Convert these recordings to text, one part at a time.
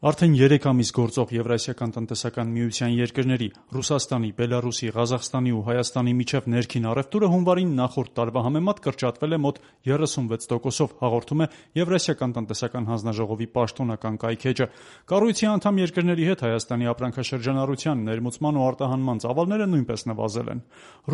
Արդեն 3 ամիս գործող Եվրասիական տնտեսական միության երկրների՝ Ռուսաստանի, Բելարուսի, Ղազախստանի ու Հայաստանի միջև ներքին առևտուրը հունվարին նախորդ տարվա համեմատ կրճատվել է մոտ 36%-ով, հաղորդում է Եվրասիական տնտեսական հանձնաժողովի պաշտոնական կայքէջը։ Կառույցի անդամ երկրների հետ Հայաստանի ապրանքաշրջանառության, ներմուծման ու արտահանման ծավալները նույնպես նվազել են։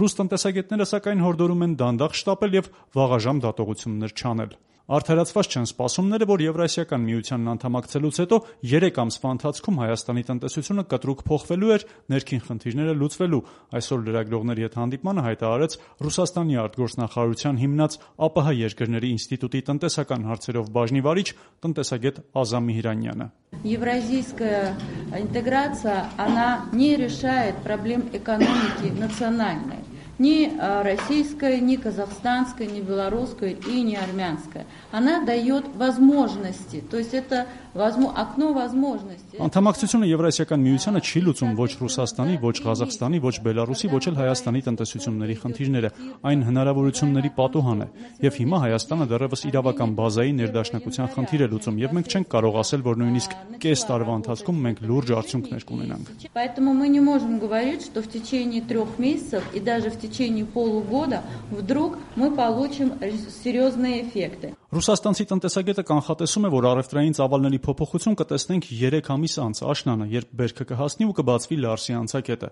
Ռուս տնտեսագետները սակայն հորդորում են դանդաղ շտապել եւ վաղաժամ դատողություններ չանել։ Արդարացված չեն սպասումները, որ Եվրասիական միությանն անդամակցելուց հետո 3 ամսվա ընթացքում Հայաստանի տնտեսությունը կտրուկ փոխվելու էր, ներքին խնդիրները լուծվելու։ Այսօր լրագրողների հետ հանդիպմանը հայտարարեց Ռուսաստանի արտգործնախարարության հիմնած ԱՊՀ երկրների ինստիտուտի տնտեսական հարցերով բաժնի վարիչ տնտեսագետ Ազամ Միհրանյանը։ Евразийская интеграция, она не решает проблем экономики национальной. Ни российская, ни казахстанская, ни белорусская и ни армянская. Она дает возможности, то есть это окно возможностей. Անդամակցությունը Եվրասիական միությանը չի լուծում ոչ Ռուսաստանի, ոչ Ղազախստանի, ոչ Բելարուսի, ոչ էլ Հայաստանի տնտեսությունների խնդիրները։ Այն հնարավորությունների պատուհան է։ Եվ հիմա Հայաստանը դեռևս իրավական բազայի ներդաշնակության խնդիր է լուծում, եւ մենք չենք կարող ասել, որ նույնիսկ կես տարվա ընթացքում մենք լուրջ արդյունքներ կունենանք։ Поэтому мы не можем говорить, что в течение 3 месяцев и даже в течение полугода вдруг мы получим серьезные эффекты. Ռուսաստանցի տնտեսագետը կանխատեսում է, որ առևտրային ծավալների փոփոխություն կտեսնենք 3 ամիս անց աշնանը, երբ բերքը կհասնի ու կբացվի Լարսի անցակետը։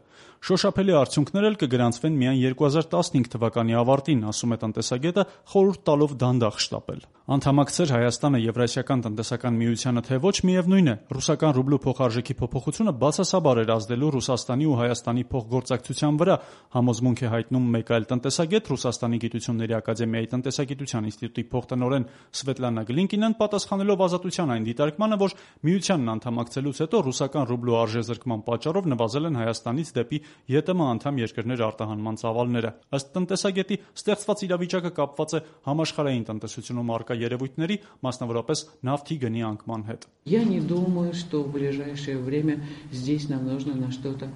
Շոշափելի արդյունքներ էլ կգրանցվեն միայն 2015 թվականի ավարտին, ասում է տնտեսագետը, խորհուրդ տալով դանդաղ շտապել։ Անդամակցեր Հայաստանը Եվրասիական տնտեսական միությանը, թե ոչ, միևնույն է, ռուսական ռուբլու փոխարժեքի փոփոխությունը բացասաբար էր ազդելու Ռուսաստանի ու Հայաստանի փոխգործակցության վրա, համոզմունք է հայտնում մեկ այլ տնտեսագետ, Ռուսաստանի գիտությունների ակադեմիայի տնտեսագիտության ինստիտուտի փոխտնօրեն Սվետլանա Գլինկինան, պատասխանելով Ազատության այն դիտարկմանը, որ միությանն անդամակցելուց հետո ռուսական ռուբլու արժեզրկման պատճառով նվազել են Հայաստանից դեպի ԵՏՄ անդամ երկրներ արտահանման ծավալները։ Ըստ տնտեսագետի, ստեղծված իրավիճակը կապված է համաշխարհային տնտեսությունում առկա երևույթների, մասնավորապես նավթի գնի անկման հետ։ Я не думаю, что в ближайшее время здесь нам нужно на что-то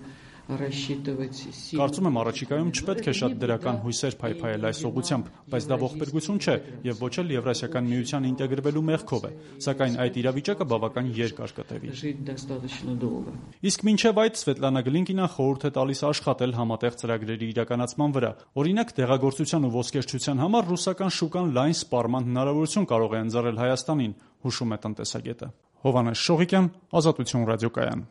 рассчитывать. Կարծում եմ առաջիկայում չպետք է շատ դրական հույսեր փայփայել այս ուղղությամբ, բայց դա ողբերգություն չէ եւ ոչ էլ Եվրասիական միության ինտեգրվելու մեղքով է, սակայն այդ իրավիճակը բավական երկար կտևի։ Իսկ մինչեւ այդ Սվետլանա Գլինկինան խորհուրդ է տալիս աշխատել համատեղ ծրագրերի իրականացման վրա։ Օրինակ, դեղագործության ու ոսկերչության համար ռուսական շուկան լայն սպառման հնարավորություն կարող է ընձեռել Հայաստանին, հուշում է տնտեսագետը։ Հովհաննես Շողիկյան, Ազատություն ռադիոկայան։